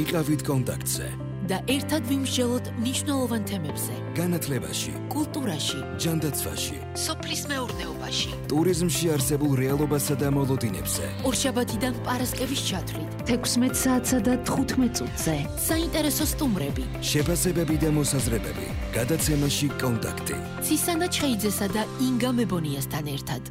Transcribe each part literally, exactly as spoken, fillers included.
იყავით კონტაქტზე და ერთად ვიმსჯელოთ მნიშვნელოვან თემებზე. განათლებაში, კულტურაში, ჯანდაცვაში, სოფლის მეურნეობაში, ტურიზმში არსებულ რეალობასა და მოლოდინებზე. ორშაბათიდან პარასკევის ჩათვლით, თექვსმეტ საათსა და თხუთმეტ წუთზე. საინტერესო სტუმრები, შეფასებები და მოსაზრებები. გადაცემაში კონტაქტი. ცისანა ჩხეიძესა და ინგა მებონიასთან ერთად.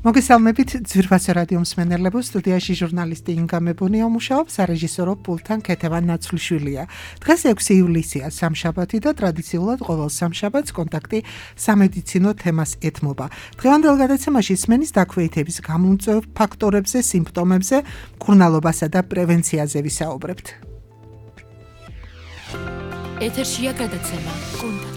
მოგესალმებით ძვირფასო რადიო მსმენელებო, სტუდიაში ჟურნალისტი ინგა მებონია მუშაობს, სარეჟისორო პულტთან ქეთევან ნაცვლიშვილია. დღეს ექვსი ივლისია, სამშაბათი და ტრადიციულად ყოველ სამშაბათს კონტაქტი სამედიცინო თემას ეთმობა. დღევანდელ გადაცემაში სმენის დაქვეითების გამომწვევ ფაქტორებზე, სიმპტომებზე, მკურნალობასა და პრევენციაზე ვისაუბრებთ. ეთერშია გადაცემა კონტაქტი.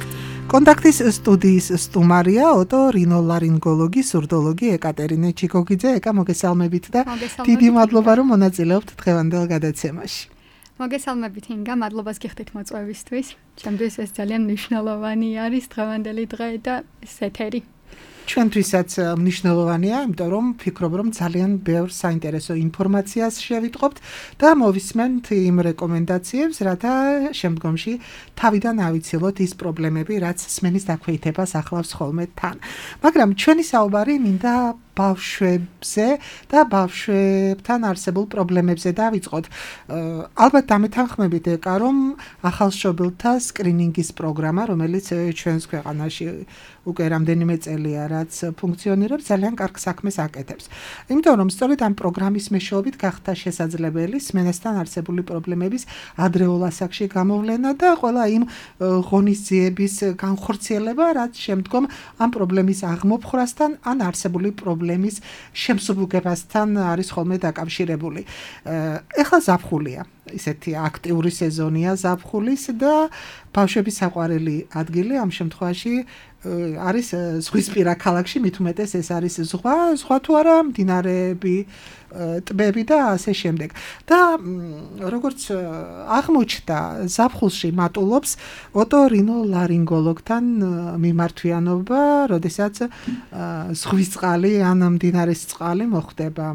კონტაქტის სტუდიის სტუმარია ოტო-რინოლარინგოლოგი, სურდოლოგი ეკატერინე ჩიკოგიძე. ეკა, მოგესალმებით და დიდი მადლობა რომ მონაწილეობთ დღევანდელ გადაცემაში. მოგესალმებით ინგა, მადლობას გიხდით მოწვევისთვის. ჩემთვის ეს ძალიან მნიშვნელოვანი არის დღევანდელი დღე და ეს ეთერი. ჩვენთვისაც მნიშვნელოვანია, იმიტომ რომ ვფიქრობ, რომ ძალიან ბევრ საინტერესო ინფორმაციას შევიტყობთ და მოვისმენთ იმ რეკომენდაციებს, რათა შემდგომში თავიდან ავიცილოთ ის პრობლემები, რაც სმენის დაქვეითებას ახლავს ხოლმე თან. მაგრამ ჩვენი საუბარი მინდა ბავშვებზე და ბავშვებთან არსებულ პრობლემებზე დავიწყოთ. ალბათ დამეთანხმებით ეკა, რომ ახალშობილთა სკრინინგის პროგრამა, რომელიც ჩვენს ქვეყანაში უკვე რამდენიმე წელია, რაც ფუნქციონირებს, ძალიან კარგ საქმეს აკეთებს. იმიტომ რომ სწორედ ამ პროგრამის მეშვეობით გახდა შესაძლებელი სმენასთან არსებული პრობლემების ადრეულ ასაკში გამოვლენა და ყველა იმ ღონისძიების განხორციელება, რაც შემდგომ ამ პრობლემის აღმოფხვრასთან ან არსებული პრობლემის შემსუბუქებასთან არის ხოლმე დაკავშირებული. ეხლა ზაფხულია, ისეთი აქტიური სეზონია ზაფხულის და ბავშვების საყვარელი ადგილი ამ შემთხვევაში არის ზღვისპირა ქალაქში, მით უმეტეს ეს არის ზღვა, ზღვა თუ არა, მდინარეები, ტბები და ასე შემდეგ. და როგორც აღმოჩნდა, ზაფხულში მატულობს ოტო-რინოლარინგოლოგთან მიმართვიანობა, როდესაც ზღვის წყალი ან მდინარის წყალი მოხვდება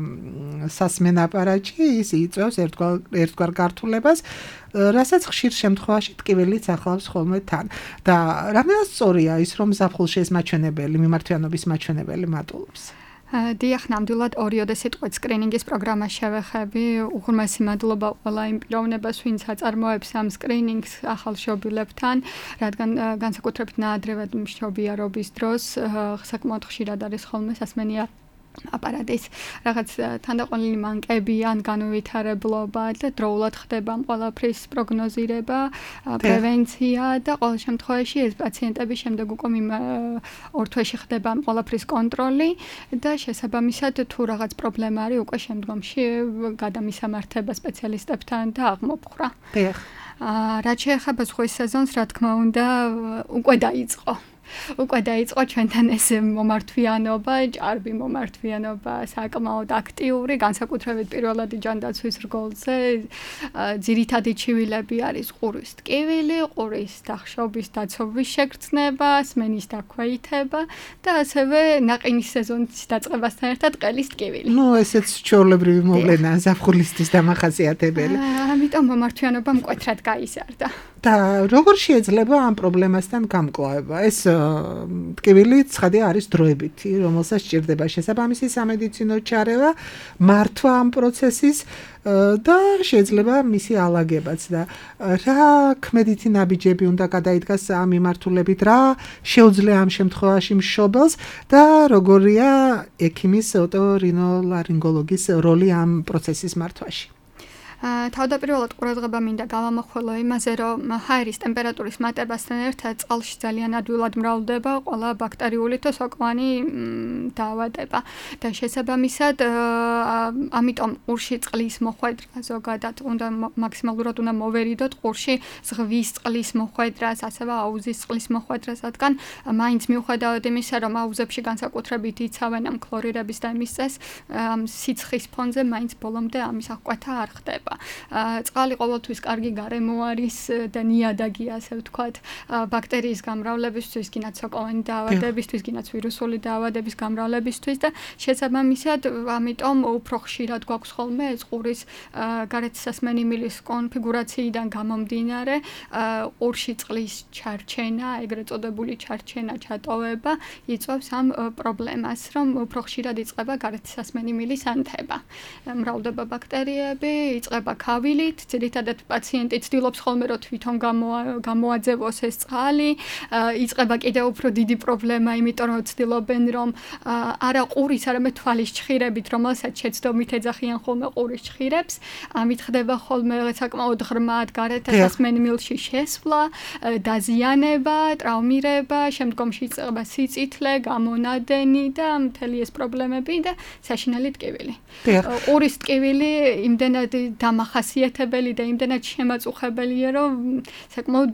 სასმენ აპარატში, ის იწვევს ერთგვარ ერთგვარ გართულებას, რასაც ხშირ შემთხვევაში ტკივილიც ახლავს ხოლმე თან. და რამდენად სწორია ის, რომ ზაფხულში ეს მაჩვენებელი, მიმართვიანობის მაჩვენებელი მატულობს? დიახ, ნამდვილად ორიოდე სიტყვით სკრინინგის პროგრამა შევეხები. უღრმესი მადლობა ყველა იმ პიროვნებას, ვინც აწარმოებს ამ სკრინინგს ახალშობილებთან, რადგან განსაკუთრებით ნაადრევად მშობიარობის დროს საკმაოდ ხშირად არის ხოლმე სასმენია აპარატის რაღაც თანდაყოლილი მანკები ან განუვითარებლობა და დროულად ხდება ყველაფრის პროგნოზირება, პრევენცია და ყოველ შემთხვევაში ეს პაციენტები შემდეგ უკვე ორ თვეში ხდება ყველაფრის კონტროლი და შესაბამისად თუ რაღაც პრობლემა არის უკვე შემდგომში გადამისამართება სპეციალისტებთან და აღმოფხვრა. დიახ. რაც შეეხება ზღვის სეზონს, რა თქმა უნდა, უკვე დაიწყო. უკვე დაიწყო ჩვენთან ეს მომართვიანობა, ჭარბი მომართვიანობა, საკმაოდ აქტიური, განსაკუთრებით პირველადი ჯანდაცვის რგოლზე. ძირითადი ჩივილები არის ყურის ტკივილი, ყურის დახშობის დაცობის შეგრძნება, სმენის დაქვეითება და ასევე ნაყინის სეზონის დაწყებასთან ერთად ყელის ტკივილი. ნუ ესეც ჩვეულებრივი მოვლენაა ზაფხულისთვის დამახასიათებელი. ამიტომ მომართვიანობა მკვეთრად გაიზარდა. და როგორ შეიძლება ამ პრობლემასთან გამკლავება? ეს ტკივილი ცხადი არის დროებითი, რომელსაც სჭირდება შესაბამისი სამედიცინო ჩარევა, მართვა ამ პროცესის და შეიძლება მისი ალაგებაც და რა ქმედითი ნაბიჯები უნდა გადაიდგას ამ მიმართულებით, რა შეუძლია ამ შემთხვევაში მშობელს და როგორია ექიმის ოტო-რინოლარინგოლოგის როლი ამ პროცესის მართვაში? თავდაპირველად ყურადღება მინდა გავამახვილო იმაზე, რომ ჰაერის ტემპერატურის მატებასთან ერთად წყალში ძალიან ადვილად მრავლდება ყველა ბაქტერიული და სოკოვანი დაავადება და შესაბამისად ამიტომ ყურში წყლის მოხვედრა ზოგადად უნდა მაქსიმალურად უნდა მოვერიდოთ ყურში ზღვის წყლის მოხვედრას, ასევე აუზის წყლის მოხვედრას, რადგან მაინც მიუხედავად იმისა, რომ აუზებში განსაკუთრებით იცავენ ამ ქლორირების და იმის წეს, სიცხის ფონზე მაინც ბოლომდე ამის აღკვეთა არ ხდება. მდგომარეობა. წყალი ყოველთვის კარგი გარემო არის და ნიადაგი ასე ვთქვათ, ბაქტერიის გამრავლებისთვის, გინაც სოკოვანი დაავადებისთვის, გინაც ვირუსული დაავადების გამრავლებისთვის და შესაბამისად, ამიტომ უფრო ხშირად გვაქვს ხოლმე ეს ყურის გარეთსასმენი მილის კონფიგურაციიდან გამომდინარე ყურში წყლის ჩარჩენა, ეგრეთ წოდებული ჩარჩენა, ჩატოვება იწვევს ამ პრობლემას, რომ უფრო ხშირად იწყება გარეთსასმენი მილის ანთება. მრავლდება ბაქტერიები, იწყება ქავილით, ძირითადად პაციენტი ცდილობს ხოლმე რომ თვითონ გამოაძევოს ეს წყალი, იწყება კიდევ უფრო დიდი პრობლემა, იმიტომ რომ ცდილობენ რომ არა ყურის, არამედ თვალის ჩხირებით, რომელსაც შეცდომით ეძახიან ხოლმე ყურის ჩხირებს, ამით ხდება ხოლმე საკმაოდ ღრმად გარეთსასმენ მილში შესვლა, დაზიანება, ტრავმირება, შემდგომში იწყება სიწითლე, გამონადენი და მთელი ეს პრობლემები და საშინელი ტკივილი. ყურის ტკივილი იმდენად დამახასიათებელი და იმდენად შემაწუხებელია, რომ საკმაოდ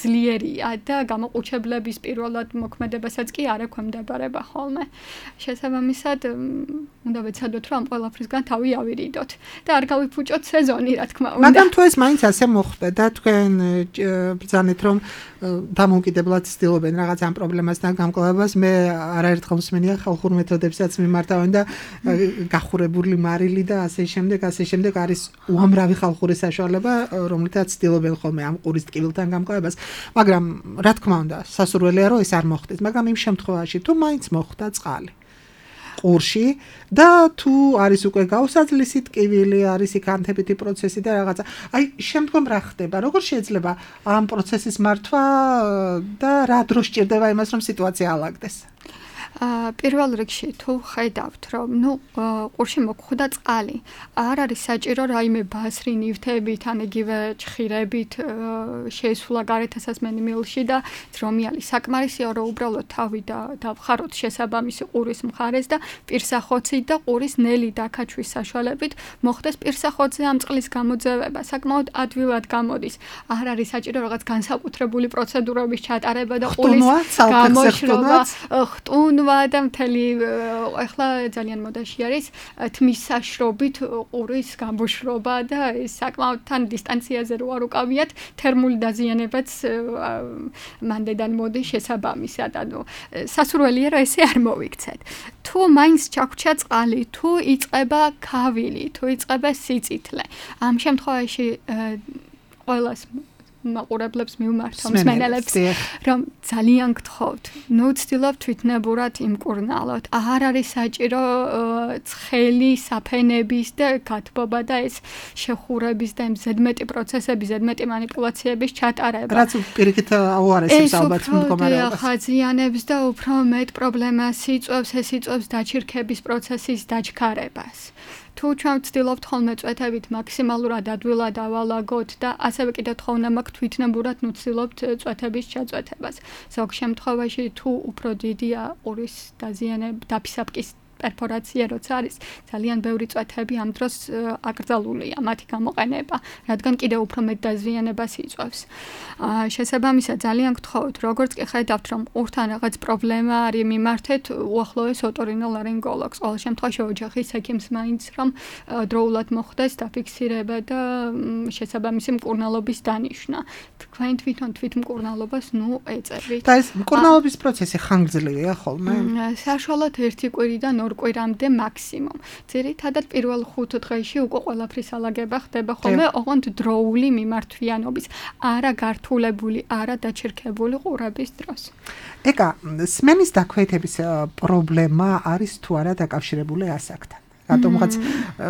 ძლიერია და გამოყუჩებლების პირველად მოქმედებასაც კი არ ექვემდებარება ხოლმე. შესაბამისად, უნდა ვეცადოთ, რომ ამ ყველაფრისგან თავი ავირიდოთ და არ გავიფუჭოთ სეზონი, რა თქმა უნდა. მაგრამ თუ ეს მაინც ასე მოხდა და თქვენ ბრძანეთ, რომ დამოუკიდებლად ცდილობენ რაღაც ამ პრობლემასთან გამკლავებას, მე არაერთხელ მსმენია ხალხურ მეთოდებსაც მიმართავენ და გახურებული მარილი და ასე შემდეგ, ასე შემდეგ არის უამრავი ხალხური საშუალება, რომლითაც ცდილობენ ხოლმე ამ ყურის ტკივილთან გამკლავებას, მაგრამ რა თქმა უნდა, სასურველია რომ ეს არ მოხდეს, მაგრამ იმ შემთხვევაში თუ მაინც მოხდა წყალი ყურში და თუ არის უკვე გაუსაძლისი ტკივილი, არის იქ ანთებითი პროცესი და რაღაცა. აი, შემდგომ რა ხდება? როგორ შეიძლება ამ პროცესის მართვა და რა დროს ჭირდება იმას, რომ სიტუაცია ალაგდეს? პირველ რიგში თუ ხედავთ, რომ ნუ ყურში მოგხვდა წყალი, არ არის საჭირო რაიმე ბასრი ნივთებით, ან იგივე ჩხირებით შეისვლა გარეთსასმენი მილში და ძრომიალი. საკმარისია რომ უბრალოდ თავი და დავხაროთ შესაბამისი ყურის მხარეს და პირსახოცით და ყურის ნელი დაქაჩვის საშუალებით მოხდეს პირსახოცზე ამ წყლის გამოძევება. საკმაოდ ადვილად გამოდის. არ არის საჭირო რაღაც განსაკუთრებული პროცედურების ჩატარება და ყურის გამოშრობა, ხტუნვა და მთელი ახლა ძალიან მოდაში არის თმის საშრობით ყურის გამოშრობა და ეს საკმაოდ თან დისტანციაზე რო არ უკავიათ თერმული დაზიანებაც მანდედან მოდის შესაბამისად. ანუ სასურველია რომ ესე არ მოვიქცეთ. თუ მაინც ჩაგვრჩა წყალი, თუ იწყება ქავილი, თუ იწყება სიწითლე, ამ შემთხვევაში ყველას მაყურებლებს მივმართავ მსმენელებს, რომ ძალიან გთხოვთ, ნუ ცდილობთ თვითნებურად იმკურნალოთ. არ არის საჭირო ცხელი საფენების და გათბობა და ეს შეხურების და იმ ზედმეტი პროცესების, ზედმეტი манипуляციების ჩატარება. რაც პირიქით აუარესებს ალბათ მდგომარეობას. ეს ხაზიანებს და უფრო მეტ პრობლემას იწვევს, ეს იწვევს დაჩირქების პროცესის დაჩქარებას. თუ ჩვენ ვცდილობთ ხოლმე წვეთებით მაქსიმალურად ადვილად ავალაგოთ და ასევე კიდევ თხოვნა მაქვს თვითნებურად ვცდილობთ წვეთების ჩაწვეთებას. ზოგ შემთხვევაში თუ უფრო დიდია ყურის დაზიანება, დაფისაბკის პერფორაცია როცა არის, ძალიან ბევრი წვეთები ამ დროს აკრძალულია მათი გამოყენება, რადგან კიდევ უფრო მეტ დაზიანებას იწვევს. შესაბამისად ძალიან გთხოვთ, როგორც კი ხედავთ, რომ ყურთან რაღაც პრობლემა არის, მიმართეთ უახლოეს ოტორინოლარინგოლოგს. ყოველ შემთხვევაში ოჯახის ექიმს მაინც რომ დროულად მოხდეს დაფიქსირება და შესაბამისი მკურნალობის დანიშვნა. თქვენ თვითონ თვითმკურნალობას ნუ ეწევით. და ეს მკურნალობის პროცესი ხანგრძლივია ხოლმე? საშუალოდ ერთი კვირიდან ორ კვირამდე მაქსიმუმ. ძირითადად პირველ ხუთ დღეში უკვე ყველაფრის ალაგება ხდება ხოლმე ოღონდ დროული მიმართვიანობის, არა გართულებული, არა დაჩერქებული ყურების დროს. ეკა, სმენის დაქვეითების პრობლემა არის თუ არა დაკავშირებული ასაკთან? რატომღაც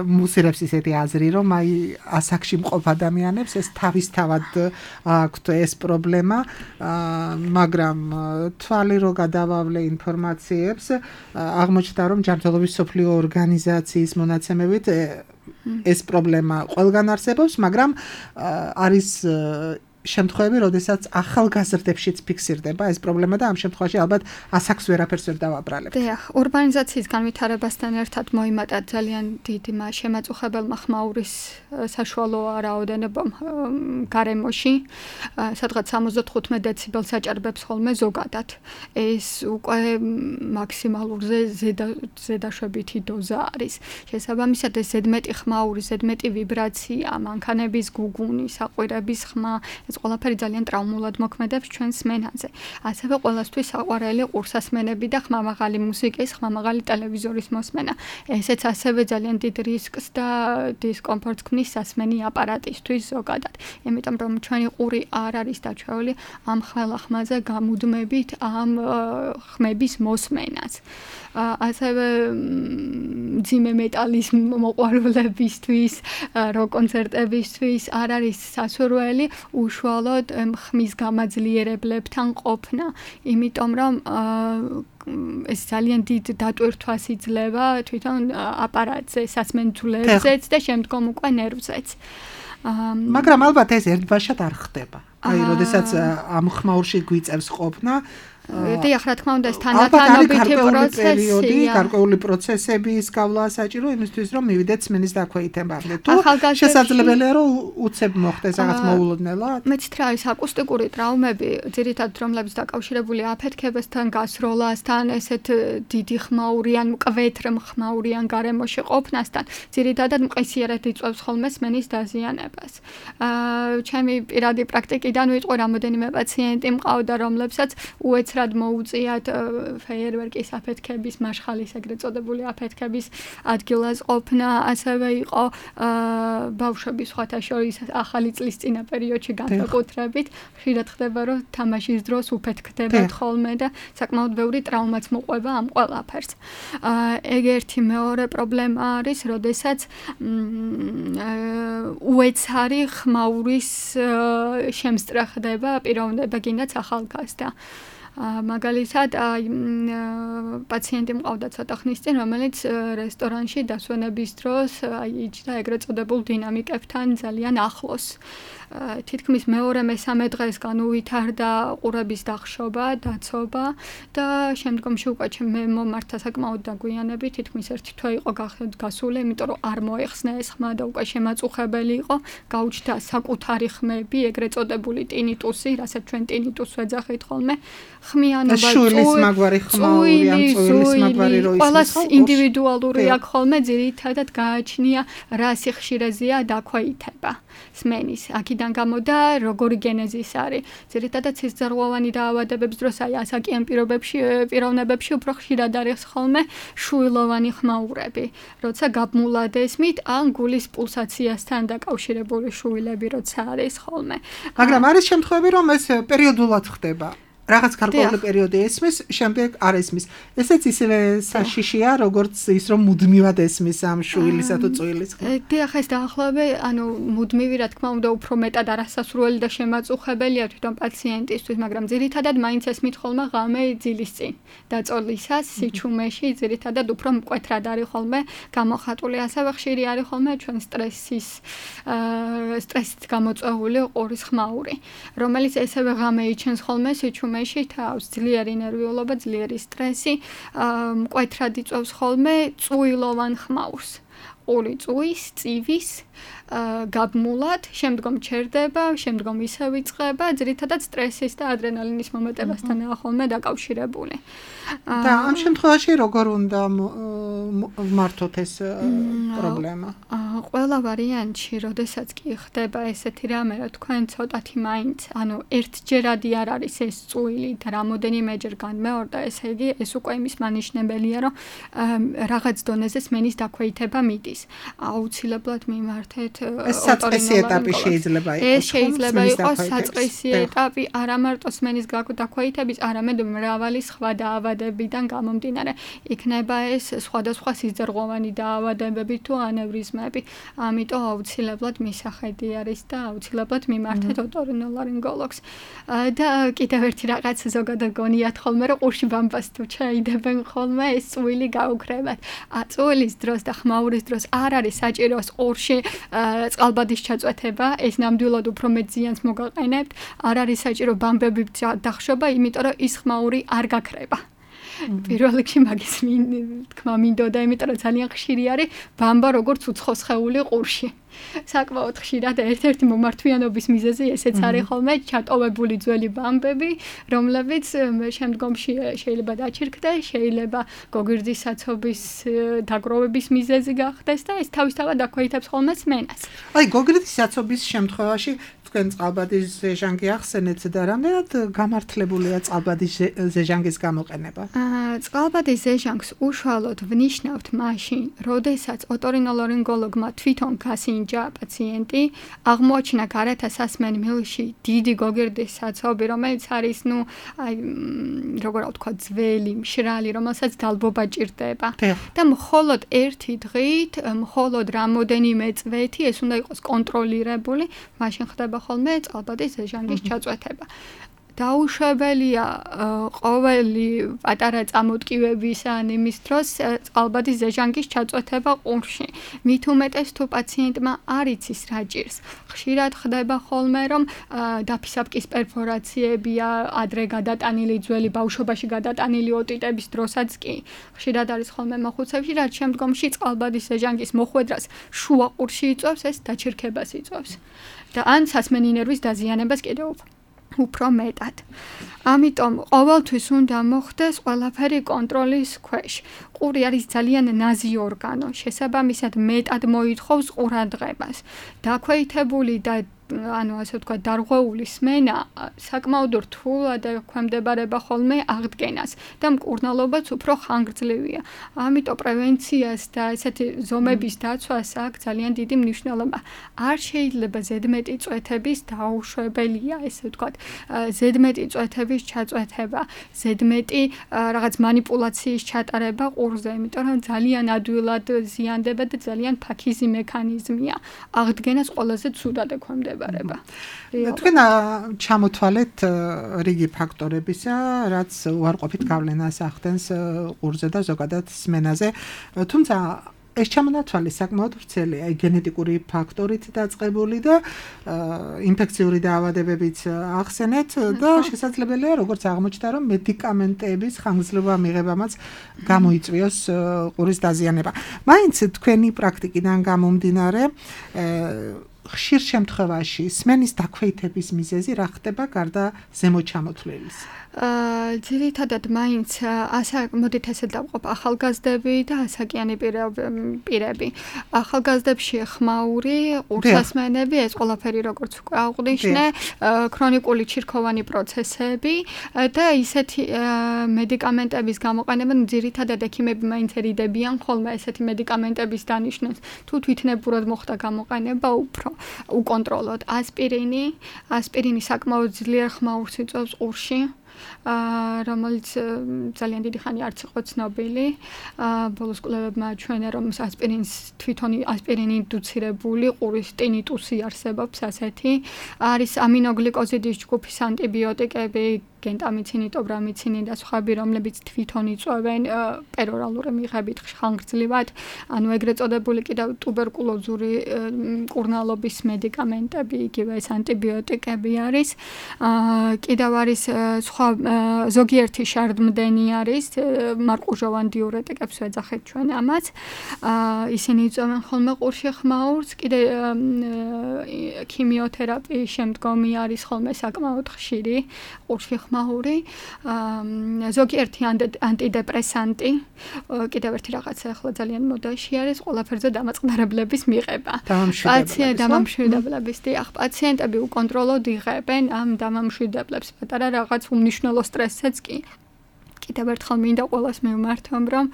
მუსირებს ისეთი აზრი, რომ აი ასაკში მყოფ ადამიანებს ეს თავისთავად აქვთ ეს პრობლემა, მაგრამ თვალი რო გადავავლე ინფორმაციებს, აღმოჩნდა, რომ ჯანმრთელობის მსოფლიო ორგანიზაციის მონაცემებით ეს პრობლემა ყველგან არსებობს, მაგრამ არის შემთხვევები, როდესაც ახალგაზრდებშიც ფიქსირდება ეს პრობლემა და ამ შემთხვევაში ალბათ ასაკს ვერაფერს ვერ დავაბრალებთ. დიახ, ურბანიზაციის განვითარებასთან ერთად მოიმატა ძალიან დიდი შემაწუხებელმა ხმაურის საშუალო რაოდენობა გარემოში, სადღაც სამოცდათხუთმეტ დეციბელს აჭარბებს ხოლმე ზოგადად. ეს უკვე მაქსიმალურზე ზედაშვებითი დოზა არის. შესაბამისად, ეს ზედმეტი ხმაური, ზედმეტი ვიბრაცია, მანქანების გუგუნი, საყვირების ხმა, ეს ყველაფერი ძალიან ტრავმულად მოქმედებს ჩვენს სმენაზე. ასევე ყველასთვის საყვარელი ყურსასმენები და ხმამაღალი მუსიკის, ხმამაღალი ტელევიზორის მოსმენა. ესეც ასევე ძალიან დიდ რისკს და დისკომფორტს ქმნის სასმენი აპარატისთვის ზოგადად. იმიტომ რომ ჩვენი ყური არ არის დაჩვეული ამ ყველა ხმაზე გამუდმებით ამ ხმების მოსმენას. ასევე ძიმე მეტალის მოყვარულებისთვის, როკ კონცერტებისთვის არ არის სასურველი უშუალოდ ხმის გამაძლიერებლებთან ყოფნა, იმიტომ რომ ეს ძალიან დიდ დატვირთვას იძლევა თვითონ აპარატზე, სასმენძულებზეც და შემდგომ უკვე ნერვზეც. მაგრამ ალბათ ეს ერთბაშად არ ხდება. აი, როდესაც ამ ხმაურში გვიწევს ყოფნა, დიახ, რა თქმა უნდა, ეს თანათანობითი პროცესია. გარკვეული პროცესების გავლა საჭირო იმისთვის, რომ მივიდეთ სმენის დაქვეითებამდე. თუ შესაძლებელია, რომ უცებ მოხდეს რაღაც მოულოდნელად? მეც რა არის აკუსტიკური ტრავმები, ძირითადად რომლებიც დაკავშირებული აფეთქებასთან, გასროლასთან, ესეთ დიდი ხმაურიან, მკვეთრ ხმაურიან გარემოში ყოფნასთან, ძირითადად მყისიერად იწვევს ხოლმე სმენის დაზიანებას. ჩემი პირადი პრაქტიკიდან ვიტყვი, რამოდენიმე პაციენტი მყავდა, რომლებსაც უეც რად მოუწიათ ფეიერვერკის აფეთქების, მაშხალის ეგრეთ წოდებული აფეთქების ადგილას ყოფნა, ასევე იყო ბავშვების სხვათა შორის ახალი წლის წინა პერიოდში განსაკუთრებით, ხშირად ხდება, რომ თამაშის დროს უფეთქდებათ ხოლმე და საკმაოდ ბევრი ტრავმაც მოყვება ამ ყველაფერს. ეგ ერთი, მეორე პრობლემა არის, როდესაც უეცარი ხმაურის შემსწრე ხდება პიროვნება, გინდაც ახალგაზრდა. მაგალითად, პაციენტი მყავდა ცოტა ხნის წინ, რომელიც რესტორანში დასვენების დროს იჯდა ეგრეთ წოდებულ დინამიკებთან ძალიან ახლოს. თითქმის მეორე მესამე დღეს განუვითარდა ყურების დახშობა, დაცობა და შემდგომში უკვე მე მომართა საკმაოდ დაგვიანებით, თითქმის ერთი თვე იყო გასული, იმიტომ რომ არ მოეხსნა ეს ხმა და უკვე შემაწუხებელი იყო, გაუჩნდა საკუთარი ხმები, ეგრეთ წოდებული ტინიტუსი, რასაც ჩვენ ტინიტუსს ვეძახით ხოლმე, ხმიანობა, შვილის მაგვარი ხმაური, ამ წვილის მაგვარი რო ისმის. ყველას ინდივიდუალური აქვს ხოლმე, ძირითადად გააჩნია რა სიხშირეზეა დაქვეითება სმენის. აქედან გამოდა როგორი გენეზის არის. ძირითადად სისხლძარღვოვანი დაავადებების დროს აი ასაკიან პირობებში, პიროვნებებში უფრო ხშირად არის ხოლმე შვილოვანი ხმაურები. როცა გაბმულად ესმით, ან გულის პულსაციასთან დაკავშირებული შვილები როცა არის ხოლმე. მაგრამ არის შემთხვევები, რომ ეს პერიოდულად ხდება. რაღაც გარკვეული პერიოდი ესმის, შემდეგ არ ესმის. ესეც ისევე საშიშია, როგორც ის რომ მუდმივად ესმის ამ შვილისა თუ წვილის. დიახ, ეს დაახლოებით, ანუ მუდმივი რა თქმა უნდა უფრო მეტად არასასურველი და შემაწუხებელია თვითონ პაციენტისთვის, მაგრამ ძირითადად მაინც ესმით ხოლმე ღამე ძილის წინ. დაწოლისას, სიჩუმეში ძირითადად უფრო მკვეთრად არის ხოლმე გამოხატული, ასევე ხშირი არის ხოლმე ჩვენ სტრესის სტრესით გამოწვეული ყურის ხმაური, რომელიც ესევე ღამე იჩენს ხოლმე სიჩუმეში. თავს ძლიერი ნერვიულობა, ძლიერი სტრესი, მკვეთრად იწვევს ხოლმე წუილოვან ხმაურს. ყური წუის, წივის, გაბმულად, შემდგომ ჩერდება, შემდგომ ისევ იწყება, ძირითადად სტრესის და ადრენალინის მომეტებასთანაა ხოლმე დაკავშირებული. და ამ შემთხვევაში როგორ უნდა ვმართოთ ეს პრობლემა? ყველა ვარიანტში, როდესაც კი ხდება ესეთი რამე, რა თქვენ ცოტათი მაინც, ანუ ერთჯერადი არ არის ეს წვილი და რამოდენიმეჯერ განმეორდა, ესე იგი, ეს უკვე იმის მანიშნებელია, რომ რაღაც დონეზე სმენის დაქვეითება მიდის. აუცილებლად მიმართეთ ეს საწყისი ეტაპი შეიძლება იყოს. ეს შეიძლება იყოს საწყისი ეტაპი, არა მარტო სმენის დაქვეითების, არამედ მრავალი სხვა დაავადებიდან გამომდინარე. იქნება ეს სხვადასხვა სისხლძარღვოვანი დაავადებები თუ ანევრიზმები. ამიტომ აუცილებლად მისახედი არის და აუცილებლად მიმართეთ ოტორინოლარინგოლოგს. და კიდევ ერთი რაღაც ზოგადად გონიათ ხოლმე, რომ ყურში ბამბას თუ ჩაიდებენ ხოლმე, ეს წვილი გაუქრებათ. წვილის დროს და ხმაურის დროს არ არის საჭირო ყურში წყალბადის ჩაწვეთება, ეს ნამდვილად უფრო მეტ ზიანს მოგაყენებთ. არ არის საჭირო ბამბები დახშობა, იმიტომ რომ ის ხმაური არ გაქრება. პირველ რიგში მაგის თქმა მინდოდა, იმიტომ რომ ძალიან ხშირი არის ბამბა როგორც უცხო სხეული ყურში. საკმაოდ ხშირად ერთ-ერთი მომართვიანობის მიზეზი ესეც არის ხოლმე ჩატოვებული ძველი ბამბები, რომლებიც შემდგომში შეიძლება დაჩირკდეს, შეიძლება გოგირდის საცობის დაგროვების მიზეზი გახდეს და ეს თავისთავად აქვეითებს ხოლმე სმენას. აი, გოგირდის საცობის შემთხვევაში თქვენ წყალბადის ზეჟანგი ახსენეთ და რამდენად გამართლებულია წყალბადის ზეჟანგის გამოყენება? წყალბადის ზეჟანგს უშუალოდ ვნიშნავთ მაშინ, როდესაც ოტორინოლარინგოლოგმა თვითონ გასინჯა პაციენტი, აღმოაჩინა გარეთა სასმენ მილში დიდი გოგირდის საცობი, რომელიც არის, ნუ, აი, როგორ ვთქვა, ძველი, მშრალი, რომელსაც დალბობა ჭირდება. და მხოლოდ ერთი დღით, მხოლოდ რამოდენიმე წვეთი ეს უნდა იყოს კონტროლირებული, მაშინ ხდება ხოლმე წყალბადის ზეჟანგის ჩაწვეთება. დაუშვებელია ყოველი პატარა წამოტკივების ან იმის დროს წყალბადის ზეჟანგის ჩაწვეთება ყურში. მით უმეტეს თუ პაციენტმა არ იცის რა ჭირს. ხშირად ხდება ხოლმე, რომ დაფისაბკის პერფორაციებია ადრე გადატანილი ძველი ბავშვობაში გადატანილი ოტიტების დროსაც კი. ხშირად არის ხოლმე მოხუცებში, რაც შემდგომში წყალბადის ზეჟანგის მოხვედრას შუა ყურში იწვევს, ეს დაჩირქებას იწვევს. და ან სასმენი ნერვის დაზიანებას კიდევ უფრო მეტად. ამიტომ ყოველთვის უნდა მოხდეს ყველაფერი კონტროლის ქვეშ. ყური არის ძალიან ნაზი ორგანო, შესაბამისად მეტად მოითხოვს ყურადღებას. დაქვეითებული და ანუ ასე ვთქვათ, დარღვეული სმენა საკმაოდ რთულად ექვემდებარება ხოლმე აღდგენას და მკურნალობაც უფრო ხანგრძლივია. ამიტომ პრევენციას და ესეთი ზომების დაცვას აქვს ძალიან დიდი მნიშვნელობა. არ შეიძლება ზედმეტი წვეთების დაუშვებელია, ესე ვთქვათ, ზედმეტი წვეთების ჩაწვეთება, ზედმეტი რაღაც манипуляციის ჩატარება ყურზე, იმიტომ რომ ძალიან ადვილად ზიანდება და ძალიან ფაქიზი მექანიზმია. აღდგენას ყველაზე ცუდად ექვემდებარება. თქვენ ჩამოთვალეთ რიგი ფაქტორებისა, რაც უარყოფით გავლენას ახდენს ყურზე და ზოგადად სმენაზე. თუმცა ეს ჩამონათვალი საკმაოდ ვრცელია, გენეტიკური ფაქტორით დაწყებული და ინფექციური დაავადებებიც ახსენეთ და შესაძლებელია, როგორც აღმოჩნდა, რომ მედიკამენტების ხანგრძლივობა მიღებამაც გამოიწვიოს ყურის დაზიანება. მაინც თქვენი პრაქტიკიდან გამომდინარე, ხშირ შემთხვევაში სმენის დაქვეითების მიზეზი რა ხდება გარდა ზემოჩამოთვლილის? ძირითადად მაინც ასა მოდით ესე დავყოფ ახალგაზრდები და ასაკიანი პირები. ახალგაზრდებში ხმაური, ყურსასმენები, ეს ყველაფერი როგორც უკვე აღვნიშნე, ქრონიკული ჩირქოვანი პროცესები და ისეთი მედიკამენტების გამოყენება, ძირითადად ექიმები მაინც ერიდებიან ხოლმე ესეთი მედიკამენტების დანიშნულს. თუ თვითნებურად მოხდა გამოყენება, უფრო უკონტროლოდ. ასპირინი, ასპირინი საკმაოდ ძლიერ ხმაურს იწვევს ყურში. რომელიც ძალიან დიდი ხანი არც იყო ცნობილი. ბოლოს კვლევებმა აჩვენა, რომ ასპირინს თვითონ ასპირინი ინდუცირებული ყურის ტინიტუსი არსებობს ასეთი. არის ამინოგლიკოზიდის ჯგუფის ანტიბიოტიკები, გენტამიცინი, ტობრამიცინი და სხვები, რომლებიც თვითონ იწვევენ პერორალური მიღებით ხანგრძლივად, ანუ ეგრეთ წოდებული კიდევ ტუბერკულოზური მკურნალობის მედიკამენტები, იგივე ეს ანტიბიოტიკები არის. კიდევ არის სხვა ზოგიერთი შარდმდენი არის, მარყუჟოვან დიურეტიკებს ვეძახეთ ჩვენ ამას. ისინი იწვევენ ხოლმე ყურში ხმაურს, კიდე ქიმიოთერაპიის შემდგომი არის ხოლმე საკმაოდ ხშირი ყურში ხმაური, ზოგიერთი ანტიდეპრესანტი, კიდევ ერთი რაღაცა ახლა ძალიან მოდაში არის, ყველაფერზე დამაწყდარებლების მიღება. დამამშვიდებლების, დიახ, პაციენტები უკონტროლოდ იღებენ ამ დამამშვიდებლებს, პატარა რაღაც უმნიშვნელო სტრესსაც კი. კიდევ ერთხელ მინდა ყველას მივმართომ, რომ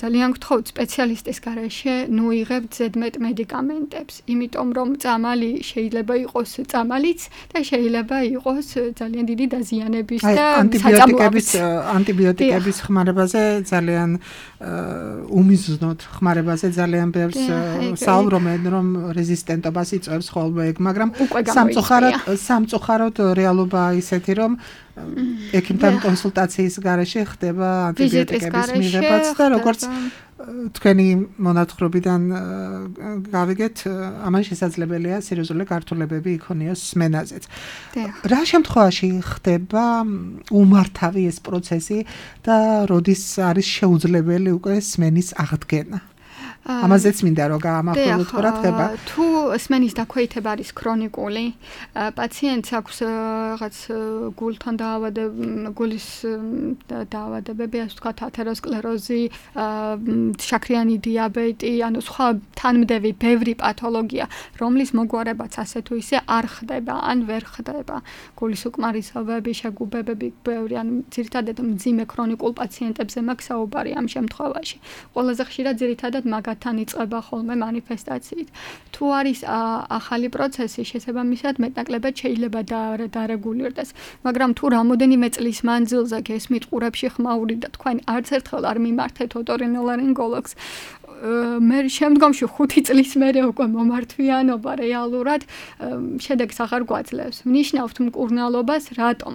ძალიან გთხოვთ სპეციალისტის გარეშე ნუ იღებთ ზედმეტ მედიკამენტებს, იმიტომ რომ წამალი შეიძლება იყოს წამალიც და შეიძლება იყოს ძალიან დიდი დაზიანების და ანტიბიოტიკების ანტიბიოტიკების ხმარებაზე ძალიან უმიზნოდ ხმარებაზე ძალიან ბევრს საუბრობენ, რომ რეზისტენტობას იწვევს ხოლმე ეგ, მაგრამ სამწუხაროდ სამწუხაროდ რეალობა ისეთი, რომ ექიმთან კონსულტაციის გარეშე ხდება ანტიბიოტიკების მიღებაც და როგორც თქვენი მონათხრობიდან გავიგეთ, ამან შესაძლებელია სერიოზული გართულებები იქონიოს სმენაზეც. რა შემთხვევაში ხდება უმართავი ეს პროცესი და როდის არის შეუძლებელი უკვე სმენის აღდგენა? ამაზეც მინდა რომ გაამახვილოთ რა ხდება. თუ სმენის დაქვეითება არის ქრონიკული, პაციენტს აქვს რაღაც გულთან დაავადება, გულის დაავადებები, ასე ვთქვათ, ათეროსკლეროზი, შაქრიანი დიაბეტი, ანუ სხვა თანმდევი ბევრი პათოლოგია, რომლის მოგვარებაც ასე თუ ისე არ ხდება, ან ვერ ხდება. გულის უკმარისობები, შეგუბებები ბევრი, ანუ ძირითადად მძიმე ქრონიკულ პაციენტებზე მაქვს საუბარი ამ შემთხვევაში. ყველაზე ხშირად ძირითადად მაგ თან იწყება ხოლმე манифестაციით. თუ არის ახალი პროცესი, შესაბამისად მეტნაკლებად შეიძლება დარეგულირდეს, მაგრამ თუ რამოდენიმე წლის მანძილზე გესმით ყურებში ხმაური და თქვენ არც ერთხელ არ მიმართეთ ოტორინოლარინგოლოგს, მე შემდგომში ხუთი წლის მერე უკვე მომართვიანობა რეალურად შედეგს აღარ გვაძლევს. ვნიშნავთ მკურნალობას, რატომ?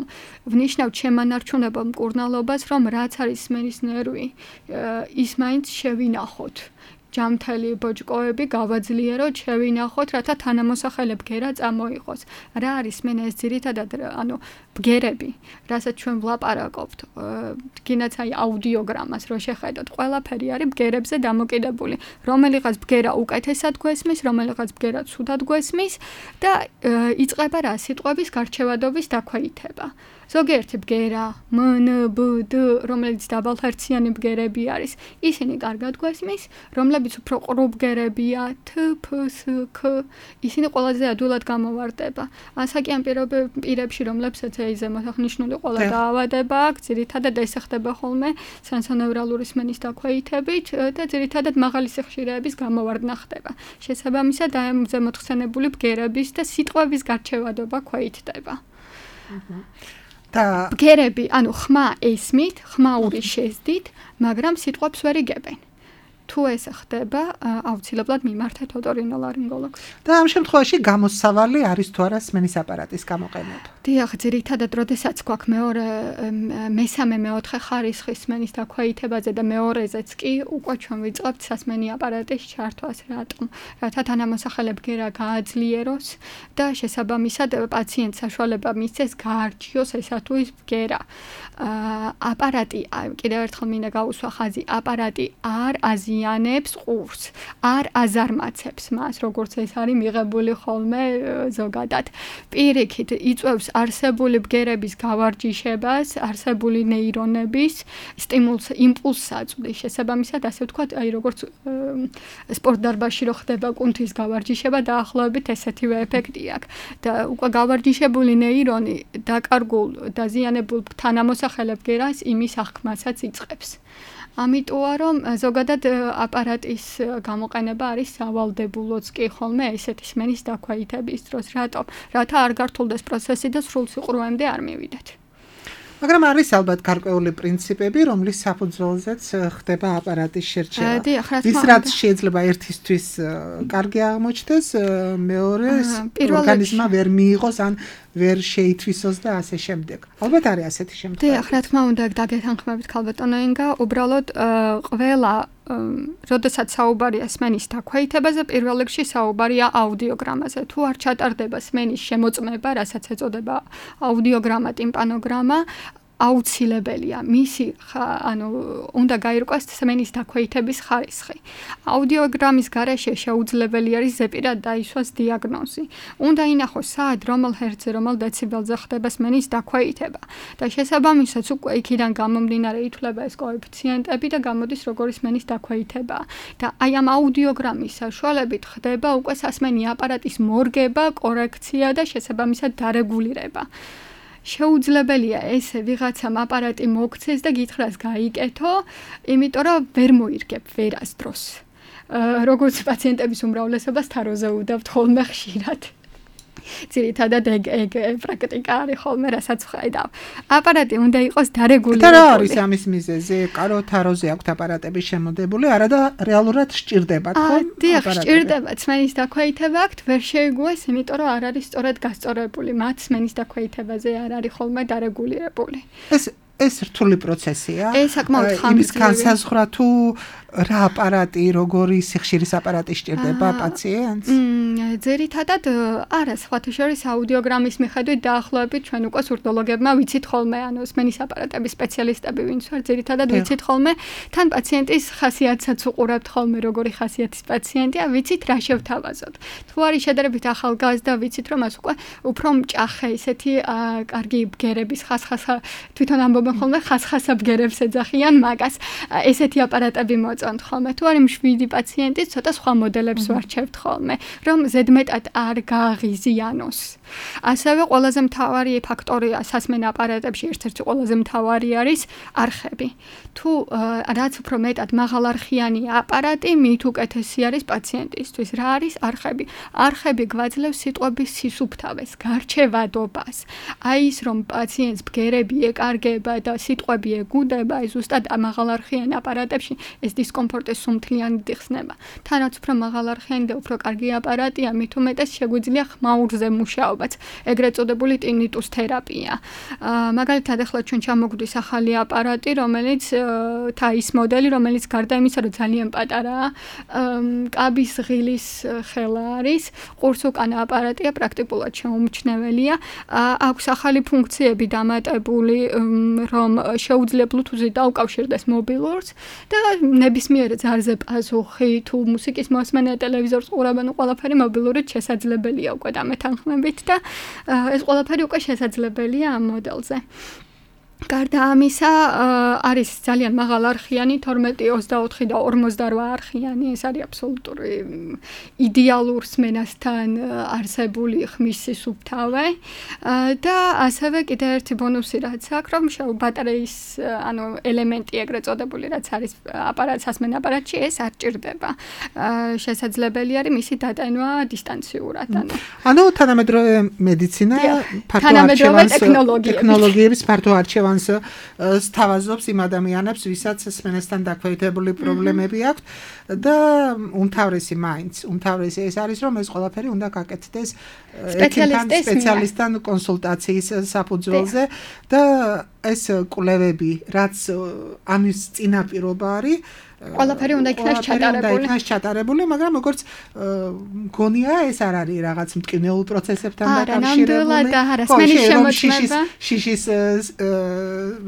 ვნიშნავთ შემანარჩუნებელ მკურნალობას, რომ რაც არის სმენის ნერვი, ის მაინც შევინახოთ. ჯამთელი ბოჭკოები გავაძლიეროთ, შევინახოთ, რათა თანამოსახელე ბგერა წამოიღოს. რა არის სმენა? ეს ძირითადად, ანუ ბგერები, რასაც ჩვენ ვლაპარაკობთ, გინაც აი აუდიოგრამას რო შეხედოთ, ყველაფერი არის ბგერებზე დამოკიდებული. რომელიღაც ბგერა უკეთესად გვესმის, რომელიღაც ბგერა ცუდად გვესმის და იწყება რა სიტყვების გარჩევადობის დაქვეითება. ზოგიერთი ბგერა, მ, ნ, ბ, დ, რომელიც დაბალხერციანი ბგერები არის, ისინი კარგად გვესმის, რომლებიც უფრო ყრუ ბგერებია, თ, ფ, ს, ქ, ისინი ყველაზე ადვილად გამოვარდება. ასაკიან პირებში, რომლებსაც ეიზე მოსახნიშნული ყველა დაავადება აქვს, ძირითადად ეს ხდება ხოლმე სენსონევრალური სმენის დაქვეითებით და ძირითადად მაღალი სიხშირეების გამოვარდნა ხდება. შესაბამისად, აი ამ ზემოთხსენებული ბგერების და სიტყვების გარჩევადობა ქვეითდება. ბგერები, ანუ ხმა ესმით, ხმაური შეძდით, მაგრამ სიტყვებს ვერ იგებენ. თუ ეს ხდება, აუცილებლად მიმართეთ ოტორინოლარინგოლოგს. და ამ შემთხვევაში გამოსავალი არის თუ არა სმენის აპარატის გამოყენება? დიახ, ძირითადად, როდესაც გვაქვს მეორე, მესამე, მეოთხე ხარისხის სმენის დაქვეითებაზე და მეორეზეც კი უკვე ჩვენ ვიწყებთ სასმენი აპარატის ჩართვას. რატომ? რათა თანამოსახელე ბგერა გააძლიეროს და შესაბამისად პაციენტს საშუალება მისცეს გაარჩიოს ესა თუ ის ბგერა. აპარატი, კიდევ ერთხელ მინდა გავუსვა ხაზი, აპარატი არ აზიანებს ყურს, არ აზარმაცებს მას, როგორც ეს არის მიღებული ხოლმე ზოგადად. პირიქით იწვევს არსებული ბგერების გავარჯიშებას, არსებული ნეირონების სტიმულს, იმპულსს აწვდის. შესაბამისად, ასე ვთქვათ, აი როგორც სპორტ დარბაზში რო ხდება კუნთის გავარჯიშება, დაახლოებით ესეთივე ეფექტი აქვს. და უკვე გავარჯიშებული ნეირონი დაკარგულ, დაზიანებულ თანამოსახელე ბგერას იმის აღქმასაც იწყებს. ამიტოა რომ ზოგადად აპარატის გამოყენება არის სავალდებულოც კი ხოლმე ესეთი სმენის დაქვეითების დროს. რატომ? რათა არ გართულდეს პროცესი და სრულ სიყრუემდე არ მივიდეთ. მაგრამ არის ალბათ გარკვეული პრინციპები, რომლის საფუძველზეც ხდება აპარატის შერჩევა. ის რაც შეიძლება ერთისთვის კარგი აღმოჩნდეს, მეორეს ორგანიზმმა ვერ მიიღოს ან ვერ შეითვისოს და ასე შემდეგ. ალბათ არის ასეთი შემთხვევა. დიახ, რა თქმა უნდა, დაგეთანხმებით ქალბატონო ინგა, უბრალოდ ყველა როდესაც საუბარია სმენის დაქვეითებაზე, პირველ რიგში საუბარია აუდიოგრამაზე. თუ არ ჩატარდება სმენის შემოწმება, რასაც ეწოდება აუდიოგრამა, ტიმპანოგრამა, აუცილებელია მისი ანუ უნდა გაირკვეს სმენის დაქვეითების ხარისხი. აუდიოგრამის გარეშე შეუძლებელი არის ზეპირად დაისვას დიაგნოზი. უნდა ინახოს საათ რომელ ჰერცზე, რომელ დეციბელზე ხდება სმენის დაქვეითება და შესაბამისად უკვე იქიდან გამომდინარე ითვლება ეს კოეფიციენტები და გამოდის როგორი სმენის დაქვეითება. და აი ამ აუდიოგრამის საშუალებით ხდება უკვე სასმენი აპარატის მორგება, კორექცია და შესაბამისად დარეგულირება. შეუძლებელია ესე ვიღაცამ აპარატი მოგცეს და გითხრას გაიკეთო, იმიტომ რომ ვერ მოირგებ ვერასდროს. როგორც პაციენტების უმრავლესობას თაროზე უდავთ ხოლმე ხშირად. ძირითადად ეგ ეგ პრაქტიკა არის ხოლმე, რასაც ვხედავ. აპარატი უნდა იყოს დარეგულირებული. და რა არის ამის მიზეზი? კარო თაროზე აქვთ აპარატები შემოდებული, არა და რეალურად სჭირდებათ, ხო? დიახ, სჭირდება. სმენის დაქვეითება აქვთ, ვერ შეიგუეს, იმიტომ რომ არ არის სწორად გასწორებული. მათ სმენის დაქვეითებაზე არ არის ხოლმე დარეგულირებული. ეს ეს რთული პროცესია. ეს საკმაოდ ხანგრძლივი. იმის განსაზღვრა თუ რა აპარატი, როგორი სიხშირის აპარატი სჭირდება პაციენტს? ძირითადად არა, სხვათა შორის აუდიოგრამის მიხედვით დაახლოებით ჩვენ უკვე სურდოლოგებმა ვიცით ხოლმე, ანუ სმენის აპარატების სპეციალისტები ვინც ვარ, ძირითადად ვიცით ხოლმე, თან პაციენტის ხასიათსაც უყურებთ ხოლმე, როგორი ხასიათის პაციენტია, ვიცით რა შევთავაზოთ. თუ არის შედარებით ახალგაზრდა, ვიცით რომ მას უკვე უფრო მჭახე, ისეთი კარგი ბგერების ხასხასა თვითონ ამბობენ ხოლმე, ხასხასა ბგერებს ეძახიან მაგას. ესეთი აპარატები მოწონთ ხოლმე. თუ არის მშვიდი პაციენტი, ცოტა სხვა მოდელებს ვარჩევთ ხოლმე, რომ ზედმეტად არ გააღიზიანოს. ასევე ყველაზე მთავარი ფაქტორია სასმენ აპარატებში, ერთ-ერთი ყველაზე მთავარი არის არხები. თუ რაც უფრო მეტად მაღალარხიანი აპარატი, მით უკეთესი არის პაციენტისთვის. რა არის არხები? არხები გვაძლევს სიტყვების სისუფთავეს, გარჩევადობას. აი ის რომ პაციენტს ბგერები ეკარგება და სიტყვები ეგუდება, ეს ზუსტად მაღალარხიან აპარატებში ეს დისკომფორტი სუმთლიანად იხსნება. თან რაც უფრო მაღალარხიანი და უფრო კარგი აპარატია, მით უმეტეს შეგვიძლია ხმაურზე მუშაობაც, ეგრეთ წოდებული ტინიტუს თერაპია. მაგალითად, ახლა ჩვენ ჩამოგვდის ახალი აპარატი, რომელიც თაის მოდელი, რომელიც გარდა იმისა, რომ ძალიან პატარაა, კაბის ღილის ხელა არის, ყურს უკანა აპარატია, პრაქტიკულად შეუმჩნეველია. აქვს ახალი ფუნქციები დამატებული, რომ შეუძლია Bluetooth-ით დაუკავშირდეს მობილურს და ნებისმიერ ძარზე პასუხი, თუ მუსიკის მოსმენა, ტელევიზორს ყურებენ, ყველაფერი მობილურით შესაძლებელია უკვე დამეთანხმებით და ეს ყველაფერი უკვე შესაძლებელია ამ მოდელზე. გარდა ამისა, არის ძალიან მაღალარხიანი თორმეტი, ოცდაოთხი და ორმოცდარვა არხიანი, ეს არის აბსოლუტური იდეალურ სმენასთან არსებული ხმის სისუფთავე და ასევე კიდევ ერთი ბონუსი რაც აქვს, რომ ბატარეის, ანუ ელემენტი ეგრეთ წოდებული, რაც არის აპარატ სასმენ აპარატში, ეს არ ჭირდება. შესაძლებელი არის მისი დატანვა დისტანციურად, ანუ ანუ თანამედროვე მედიცინა, ფართო ტექნოლოგიების ფართო არჩევანს სთავაზობს იმ ადამიანებს, ვისაც სმენასთან დაქვეითებული პრობლემები აქვთ და უმთავრესი მაინც, უმთავრესი ეს არის, რომ ეს ყველაფერი უნდა გაკეთდეს სპეციალისტთან კონსულტაციის საფუძველზე და ეს კვლევები, რაც ამის წინაპირობა არის, ყველაფერი უნდა იქნას ჩატარებული. უნდა იქნას ჩატარებული, მაგრამ როგორც გონია ეს არ არის რაღაც მტკივნეულ პროცესებთან დაკავშირებული. არა, სმენის შემოწმება. შიშის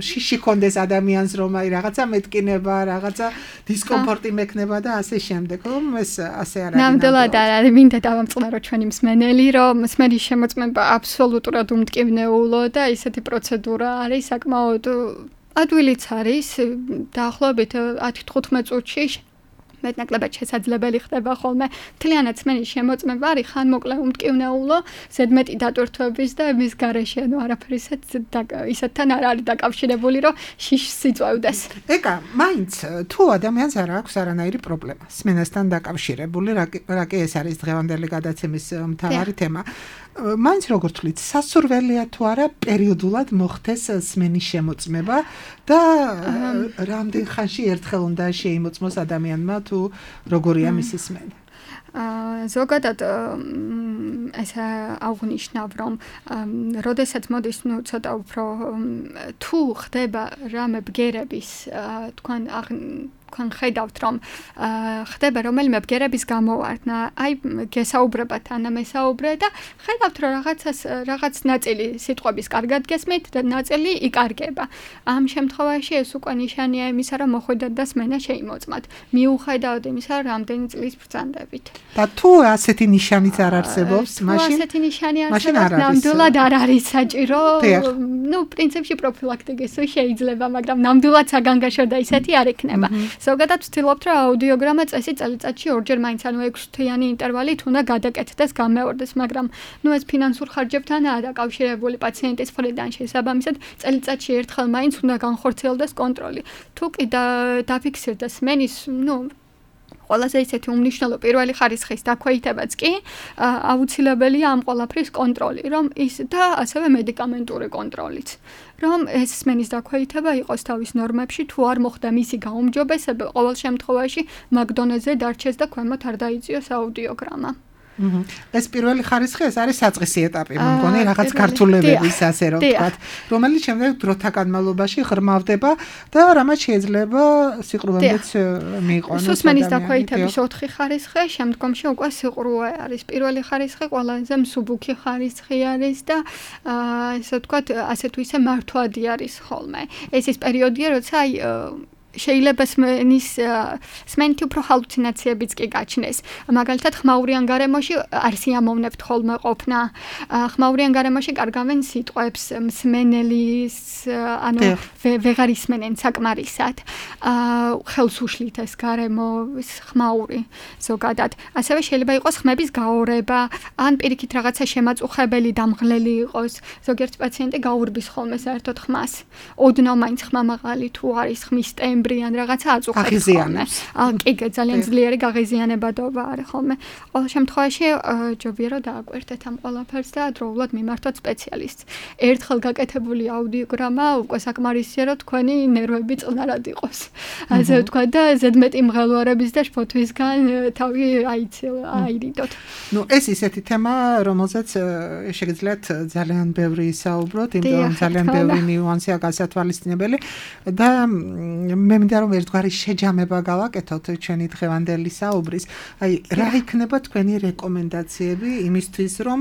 შიში კონდეს ადამიანს რომ აი რაღაცა მეტკინება, რაღაცა დისკომფორტი მექნება და ასე შემდეგ, რომ ეს ასე არ არის. ნამდვილად არ არის, მინდა დავამწყნარო ჩვენი მსმენელი, რომ სმენის შემოწმება აბსოლუტურად უმტკივნეულო და ისეთი პროცედურა არის საკმაოდ ადვილიც არის, დაახლოებით ათი თხუთმეტ წუთში მეტნაკლებად შესაძლებელი ხდება ხოლმე. მთლიანად სმენის შემოწმება არის ხანმოკლე უმტკივნეულო, ზედმეტი დატვირთვების და მის გარეშე, ანუ არაფერი ისეთთან არ არის დაკავშირებული, რომ შიშს იწვევდეს. ეკა, მაინც თუ ადამიანს არ აქვს არანაირი პრობლემა სმენასთან დაკავშირებული, რა კი ეს არის დღევანდელი გადაცემის მთავარი თემა. მაინც როგორ თვლით, სასურველია თუ არა პერიოდულად მოხდეს სმენის შემოწმება და რამდენ ხანში ერთხელ უნდა შეიმოწმოს ადამიანმა თუ როგორია მისი სმენა? ზოგადად ეს აღნიშნავ, რომ როდესაც მოდის, ნუ ცოტა უფრო თუ ხდება რამე ბგერების, თქვენ თქვენ ხედავთ, რომ ხდება რომელიმე ბგერების გამოვარდნა, აი გესაუბრებათ ანა მესაუბრე და ხედავთ, რომ რაღაცას რაღაც ნაწილი სიტყვების კარგად გესმით და ნაწილი იკარგება. ამ შემთხვევაში ეს უკვე ნიშანია იმისა, რომ მოხვედათ და სმენა შეიმოწმათ. მიუხედავად იმისა, რომ რამდენი წლის ბრძანდებით. და თუ ასეთი ნიშანიც არ არსებობს, მაშინ ასეთი ნიშანი არსებობს, ნამდვილად არ არის საჭირო. ნუ პრინციპში პროფილაქტიკის შეიძლება, მაგრამ ნამდვილად საგანგაშო და ისეთი არ იქნება. ზოგადად ვცდილობთ, რომ აუდიოგრამა წესი წელიწადში ორჯერ მაინც ანუ ექვსთვიანი ინტერვალით უნდა გადაკეთდეს, გამეორდეს, მაგრამ ნუ ეს ფინანსურ ხარჯებთანაა დაკავშირებული პაციენტის მხრიდან შესაბამისად წელიწადში ერთხელ მაინც უნდა განხორციელდეს კონტროლი. თუ კი დაფიქსირდეს სმენის, ნუ ყველაზე ისეთი უმნიშვნელო პირველი ხარისხის დაქვეითებაც კი აუცილებელია ამ ყველაფრის კონტროლი, რომ ის და ასევე მედიკამენტური კონტროლიც. რომ ეს სმენის დაქვეითება იყოს თავის ნორმებში, თუ არ მოხდა მისი გაუმჯობესება, ყოველ შემთხვევაში მაგ დონეზე დარჩეს და ქვემოთ არ დაიწიოს აუდიოგრამა. ეს პირველი ხარისხი ეს არის საწყისი ეტაპი, მე მგონი რაღაც ქართულებების ასე რომ ვთქვათ, რომელიც შემდეგ დროთა განმავლობაში ღრმავდება და რამაც შეიძლება სიყრუვემდეც მიიყვანოს. სმენის დაქვეითების ოთხი ხარისხი, შემდგომში უკვე სიყრუვე არის. პირველი ხარისხი ყველაზე მსუბუქი ხარისხი არის და ესე ვთქვათ, ასე თუ ისე მართვადი არის ხოლმე. ეს ის პერიოდია, როცა აი შეიძლება სმენის სმენით უფრო ჰალუცინაციებიც კი გაჩნდეს. მაგალითად, ხმაურიან გარემოში არ სიამოვნებთ ხოლმე ყოფნა. ხმაურიან გარემოში კარგავენ სიტყვებს, მსმენელის, ანუ ვეღარ ისმენენ საკმარისად. ხელს უშლით ეს გარემო, ხმაური ზოგადად. ასევე შეიძლება იყოს ხმების გაორება, ან პირიქით რაღაცა შემაწუხებელი, დამღლელი იყოს. ზოგიერთ პაციენტი გაურბის ხოლმე საერთოდ ხმას. ოდნავ მაინც ხმა მაღალი თუ არის ხმის ტემბრი ან რაღაცა აწუხებს ხოლმე. კი, ძალიან ძლიერი გაღიზიანებადობა არის ხოლმე. ყოველ შემთხვევაში ჯობია რომ დააკვირდეთ ამ ყველაფერს და დროულად მიმართოთ სპეციალისტს. ერთხელ გაკეთებული აუდიოგრამა უკვე საკმარისია რომ თქვენი ნერვები წყნარად იყოს. ასე ვთქვა და ზედმეტი მღელვარების და შფოთვისგან თავი აირიდოთ. ნუ ეს ისეთი თემა, რომელზეც შეგიძლიათ ძალიან ბევრი საუბროთ, იმიტომ რომ ძალიან ბევრი ნიუანსია გასათვალისწინებელი და მე მინდა რომ ერთგვარი შეჯამება გავაკეთოთ ჩვენი დღევანდელი საუბრის. აი, რა იქნება თქვენი რეკომენდაციები იმისთვის, რომ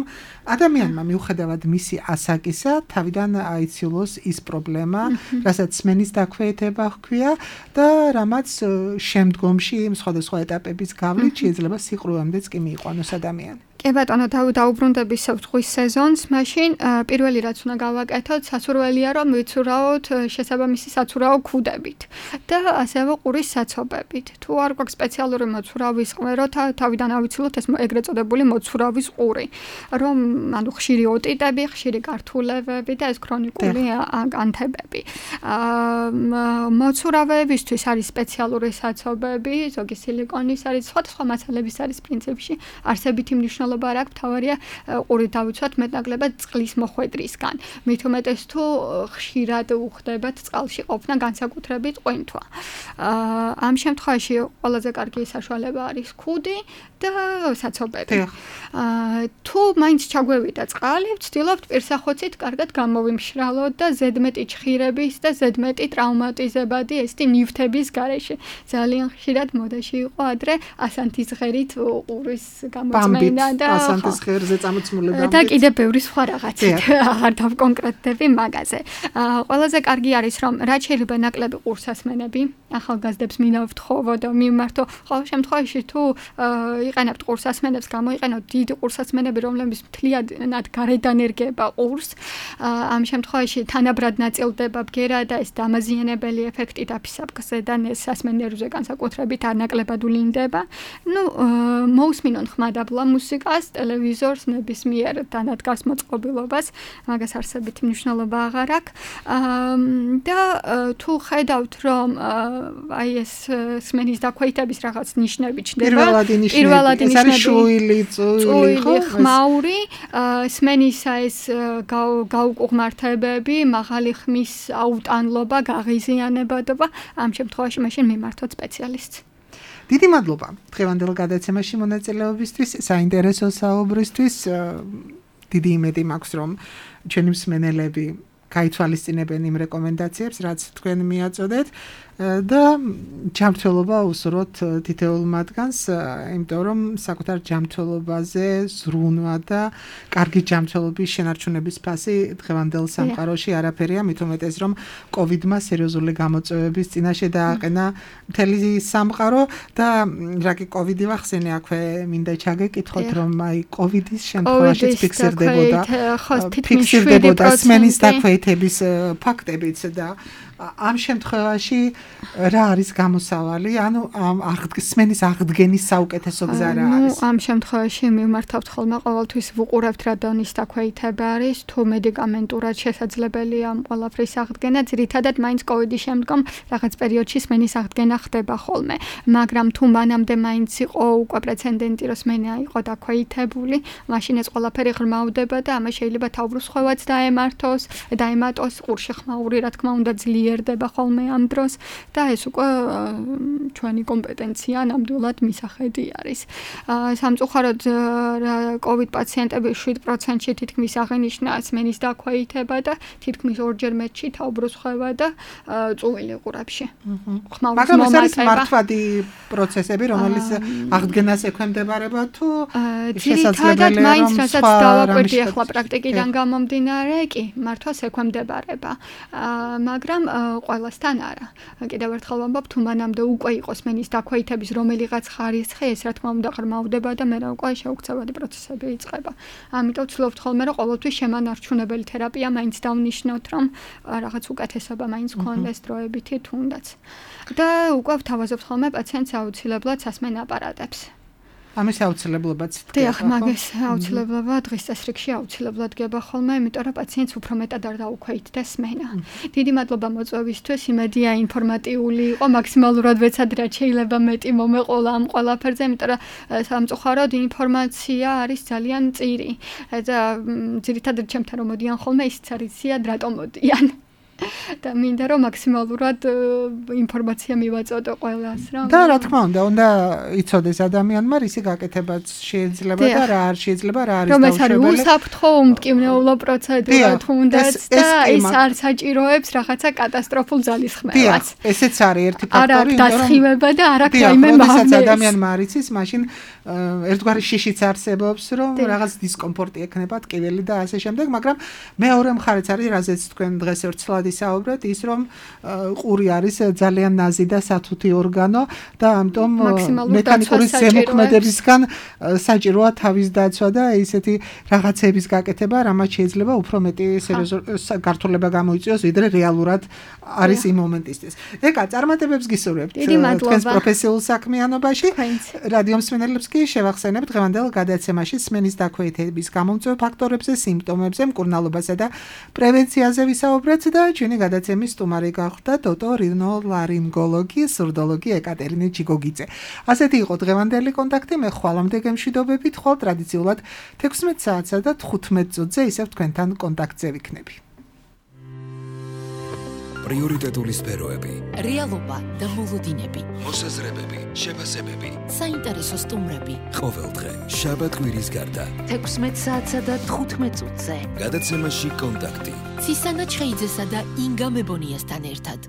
ადამიანმა მიუხედავად მისი ასაკისა, თავიდან აიციულოს ის პრობლემა, რასაც სმენის დაქვეითება ჰქვია და რამაც შემდგომში სხვადასხვა ეტაპების გავლით შეიძლება სიყრუვემდეც კი მიიყვანოს ადამიანი. კი ბატონო, დაუბრუნდების ზღვის სეზონს, მაშინ პირველი რაც უნდა გავაკეთოთ, სასურველია რომ ვიცურავოთ შესაბამისი საცურაო ქუდებით და ასევე ყურის საცობებით. თუ არ გვაქვს სპეციალური მოცურავის ყმერო, თავიდან ავიცილოთ ეს ეგრეთ წოდებული მოცურავის ყური, რომ ანუ ხშირი ოტიტები, ხშირი გართულებები და ეს ქრონიკული ანთებები. მოცურავეებისთვის არის სპეციალური საცობები, ზოგი სილიკონის არის, სხვადასხვა მასალების არის პრინციპში არსებითი მნიშვნელობა არ აქვს, თავარია ყური დავიცვათ მეტნაკლებად წყლის მოხვედრისგან. მით უმეტეს თუ ხშირად უხდებათ წყალში ყოფნა, განსაკუთრებით ყვინთვა. ამ შემთხვევაში ყველაზე კარგი საშუალება არის ქუდი და საცობები. თუ მაინც ჩაგვევიდა წყალი, ვცდილობთ პირსახოცით კარგად გამოვიმშრალოთ და ზედმეტი ჩხირების და ზედმეტი ტრავმატიზებადი ესეთი ნივთების გარეშე. ძალიან ხშირად მოდაში იყო ადრე ასანთის ღერით ყურის გამოწმენა და ასანთის ღერზე წამოწმულება და კიდე ბევრი სხვა რაღაცით არ დავკონკრეტდები მაგაზე. ყველაზე კარგი არის რომ რაც შეიძლება ნაკლები ყურსასმენები ახალგაზრდებს მინდა ვთხოვო და მიმართო ყოველ შემთხვევაში თუ იყენებთ ყურსასმენებს, გამოიყენოთ დიდი ყურსასმენები, რომლებიც მთლიანად გარედან ერგება ყურს. ამ შემთხვევაში თანაბრად ნაწილდება ბგერა და ეს დამაზიანებელი ეფექტი დაფისაბგზე და სასმენერვზე განსაკუთრებით არ ნაკლებად ვლინდება. ნუ მოусმინონ ხმადაბლა მუსიკას, ტელევიზორს, ნებისმიერ დანადგარს მოწყობილობას, მაგას არსებითი მნიშვნელობა აღარ აქვს. და თუ ხედავთ რომ აი ეს სმენის დაქვეითების რაღაც ნიშნები ჩნდება, პირველადი ნიშნები, ეს არის შუილი, წვილი, ხმაური, სმენისა ეს გაუკუღმართებები, მაღალი ხმის აუტანლობა, გაღიზიანებადობა, ამ შემთხვევაში მაშინ მიმართოთ სპეციალისტს. დიდი მადლობა დღევანდელ გადაცემაში მონაწილეობისთვის, საინტერესო საუბრისთვის. დიდი იმედი მაქვს რომ ჩვენი მსმენელები გაითვალისწინებენ იმ რეკომენდაციებს, რაც თქვენ მიაწოდეთ და ჯანმრთელობა უსურვოთ თითოეულ მათგანს, იმიტომ რომ საკუთარ ჯანმრთელობაზე ზრუნვა და კარგი ჯანმრთელობის შენარჩუნების ფასი დღევანდელ სამყაროში არაფერია, მით უმეტეს რომ კოვიდმა სერიოზული გამოწვევების წინაშე დააყენა მთელი სამყარო და რა კი კოვიდი ვახსენე, აქვე მინდა ჩაგეკითხოთ რომ აი კოვიდის შემთხვევაშიც ფიქსირდებოდა ფიქსირდებოდა სმენის დაქვეითების ფაქტებიც და ამ შემთხვევაში რა არის გამოსავალი? ანუ ამ აღდგენის აღდგენის საუკეთესო გზა რა არის? ნუ ამ შემთხვევაში მიმართავთ ხოლმე ყოველთვის ვუყურებთ რა დონის დაქვეითება არის, თუ მედიკამენტურად შესაძლებელია ამ ყველაფრის აღდგენა, ძირითადად მაინც კოვიდის შემდგომ რაღაც პერიოდში სმენის აღდგენა ხდება ხოლმე, მაგრამ თუ მანამდე მაინც იყო უკვე პრეცედენტი, რომ სმენა იყო დაქვეითებული, მაშინ ეს ყველაფერი ღრმავდება და ამას შეიძლება თავბრუსხვევაც დაემართოს, დაემატოს ყურში ხმაური, რა თქმა უნდა, ძლიერდება ხოლმე ამ დროს და ეს უკვე ჩვენი კომპეტენცია ნამდვილად მისახედი არის. სამწუხაროდ კოვიდ პაციენტების შვიდ პროცენტში თითქმის აღენიშნა სმენის დაქვეითება და თითქმის ორჯერ მეტში თავბრუსხვევა და წუვილი ყურებში. მაგრამ ეს არის მართვადი პროცესები, რომელიც აღდგენას ექვემდებარება თუ შესაძლებელია მაინც რასაც დავაკვირდი ახლა პრაქტიკიდან გამომდინარე, კი, მართვას ექვემდებარება. მაგრამ ყველასთან არა. კიდევ ერთხელ ვამბობ, თუ მანამდე უკვე იყოს სმენის დაქვეითების რომელიღაც ხარისხი, ეს რა თქმა უნდა ღრმავდება და მე რა უკვე შეუქცევადი პროცესები იწყება. ამიტომ ვცდილობთ ხოლმე რომ ყოველთვის შემანარჩუნებელი თერაპია მაინც დავნიშნოთ, რომ რაღაც უკეთესობა მაინც გქონდეს დროებითი თუნდაც. და უკვე ვთავაზობთ ხოლმე პაციენტს აუცილებლად სასმენ აპარატებს. ამის აუცილებლობაც დიახ, მაგას აუცილებლობა დღის წესრიგში აუცილებლად გება ხოლმე, იმიტომ რომ პაციენტს უფრო მეტად არ დაუქვეითდეს სმენა. დიდი მადლობა მოწვევისთვის, იმედია ინფორმატიული იყო, მაქსიმალურად ვეცად რაც შეიძლება მეტი მომეყოლა ამ ყველაფერზე, იმიტომ რომ სამწუხაროდ ინფორმაცია არის ძალიან მწირი. და ძირითადად ჩემთან რომ მოდიან ხოლმე, ისიც არის ზიად რატომ მოდიან. და მინდა რომ მაქსიმალურად ინფორმაცია მივაწოდო ყველას რა. და რა თქმა უნდა, უნდა იცოდეს ადამიანმა რისი გაკეთებაც შეიძლება და რა არ შეიძლება, რა არის დაუშვებელი. რომ ეს არის უსაფრთხო უმტკივნეულო პროცედურა თუნდაც და ის არ საჭიროებს რაღაცა კატასტროფულ ძალისხმევას. ესეც არის ერთი ფაქტორი, არა დასხივება და არა რაიმე მაგალითად ადამიანმა არ იცის, მაშინ ერთგვარი შიშიც არსებობს, რომ რაღაც დისკომფორტი ექნება ტკივილი და ასე შემდეგ, მაგრამ მეორე მხარეც არის, რაზეც თქვენ დღეს ერთსლად ისაუბრეთ, ის რომ ყური არის ძალიან ნაზი და სათუთი ორგანო და ამიტომ მექანიკური ზემოქმედებისგან საჭიროა თავის დაცვა და ისეთი რაღაცების გაკეთება, რამაც შეიძლება უფრო მეტი გართულება გამოიწვიოს, ვიდრე რეალურად არის იმ მომენტისთვის. ეკა, წარმატებებს გისურვებთ თქვენს პროფესიულ საქმიანობაში. რადიო მსმენელებს კი შევახსენებთ დღევანდელ გადაცემაში სმენის დაქვეითების გამომწვევ ფაქტორებზე, სიმპტომებზე, მკურნალობასა და პრევენციაზე ვისაუბრეთ და ჩვენი გადაცემის სტუმარი გახდა ოტორინოლარინგოლოგი, სურდოლოგი ეკატერინე ჩიგოგიძე. ასეთი იყო დღევანდელი კონტაქტი, მე ხვალამდე გემშვიდობებით, ხვალ ტრადიციულად თექვსმეტ საათსა და თხუთმეტ წუთზე ისევ თქვენთან კონტაქტზე ვიქნები. პრიორიტეტული სფეროები, რეალობა და მოლოდინები, მოსაზრებები, შეფასებები, საინტერესო სტუმრები. ყოველდღე შაბათ-კვირის გარდა თექვსმეტ საათსა და თხუთმეტ წუთზე გადაცემაში კონტაქტი ცისანა ჩხეიძესა და ინგა მებონიასთან ერთად.